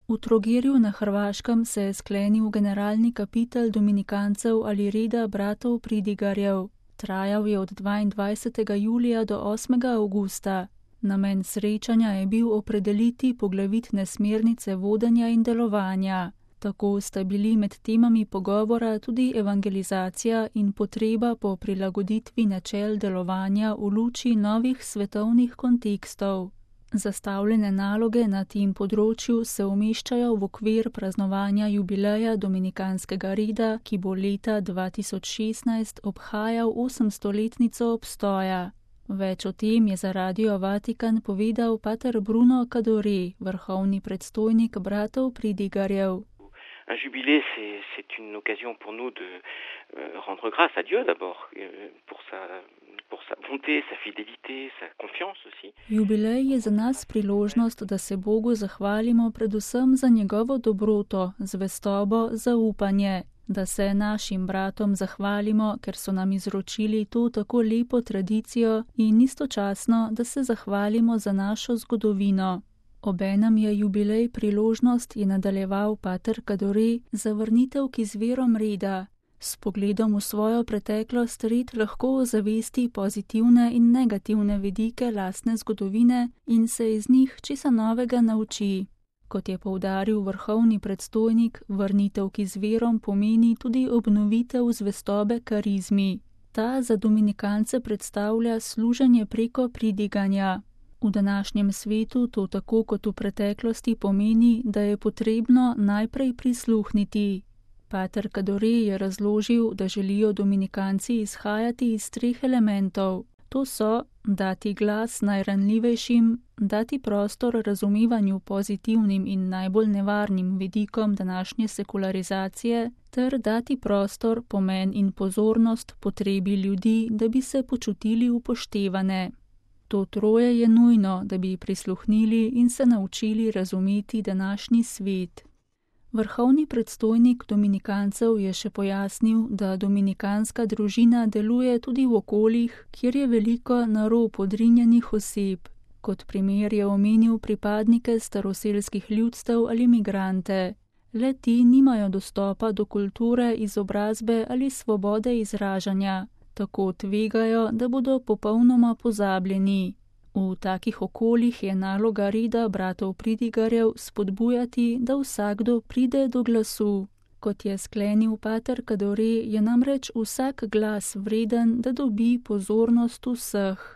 V Trogirju na Hrvaškem se je sklenil generalni kapitel dominikancev ali reda bratov Pridigarjev. Trajal je od 22. julija do 8. avgusta. Namen srečanja je bil opredeliti poglavitne smernice vodenja in delovanja. Tako sta bili med temami pogovora tudi evangelizacija in potreba po prilagoditvi načel delovanja v luči novih svetovnih kontekstov. Zastavljene naloge na tem področju se umeščajo v okvir praznovanja jubileja dominikanskega reda, ki bo leta 2016 obhajal 800-letnico obstoja. Več o tem je za Radio Vatikan povedal pater Bruno Cadore, vrhovni predstojnik bratov Pridigarjev. Un jubilé, c'est une occasion pour nous de rendre grâce à Dieu d'abord pour sa bonté, sa fidélité, sa confiance aussi. Jubilej je za nas priložnost, da se Bogu zahvalimo predvsem za njegovo dobroto, zvestobo, zaupanje, da se našim bratom zahvalimo, ker so nam izročili to tako lepo tradicijo in istočasno, da se zahvalimo za našo zgodovino. Obenem je jubilej priložnost, je nadaljeval pater Cadore, za vrnitev k izvirom reda. S pogledom v svojo preteklost red lahko ozavesti pozitivne in negativne vidike lastne zgodovine in se iz njih česa novega nauči. Kot je poudaril vrhovni predstojnik, vrnitev k izvirom pomeni tudi obnovitev zvestobe karizmi. Ta za dominikance predstavlja služenje preko pridiganja. V današnjem svetu to tako kot v preteklosti pomeni, da je potrebno najprej prisluhniti. Pater Cadore je razložil, da želijo dominikanci izhajati iz 3 elementov. To so dati glas najranljivejšim, dati prostor razumevanju pozitivnim in najbolj nevarnim vidikom današnje sekularizacije, ter dati prostor, pomen in pozornost potrebi ljudi, da bi se počutili upoštevane. To troje je nujno, da bi prisluhnili in se naučili razumeti današnji svet. Vrhovni predstojnik dominikancev je še pojasnil, da dominikanska družina deluje tudi v okoljih, kjer je veliko na rob odrinjenih oseb. Kot primer je omenil pripadnike staroselskih ljudstev ali migrante. Le ti nimajo dostopa do kulture, izobrazbe ali svobode izražanja. Tako tvegajo, da bodo popolnoma pozabljeni. V takih okoljih je naloga reda bratov Pridigarjev spodbujati, da vsakdo pride do glasu. Kot je sklenil pater Cadore, je namreč vsak glas vreden, da dobi pozornost vseh.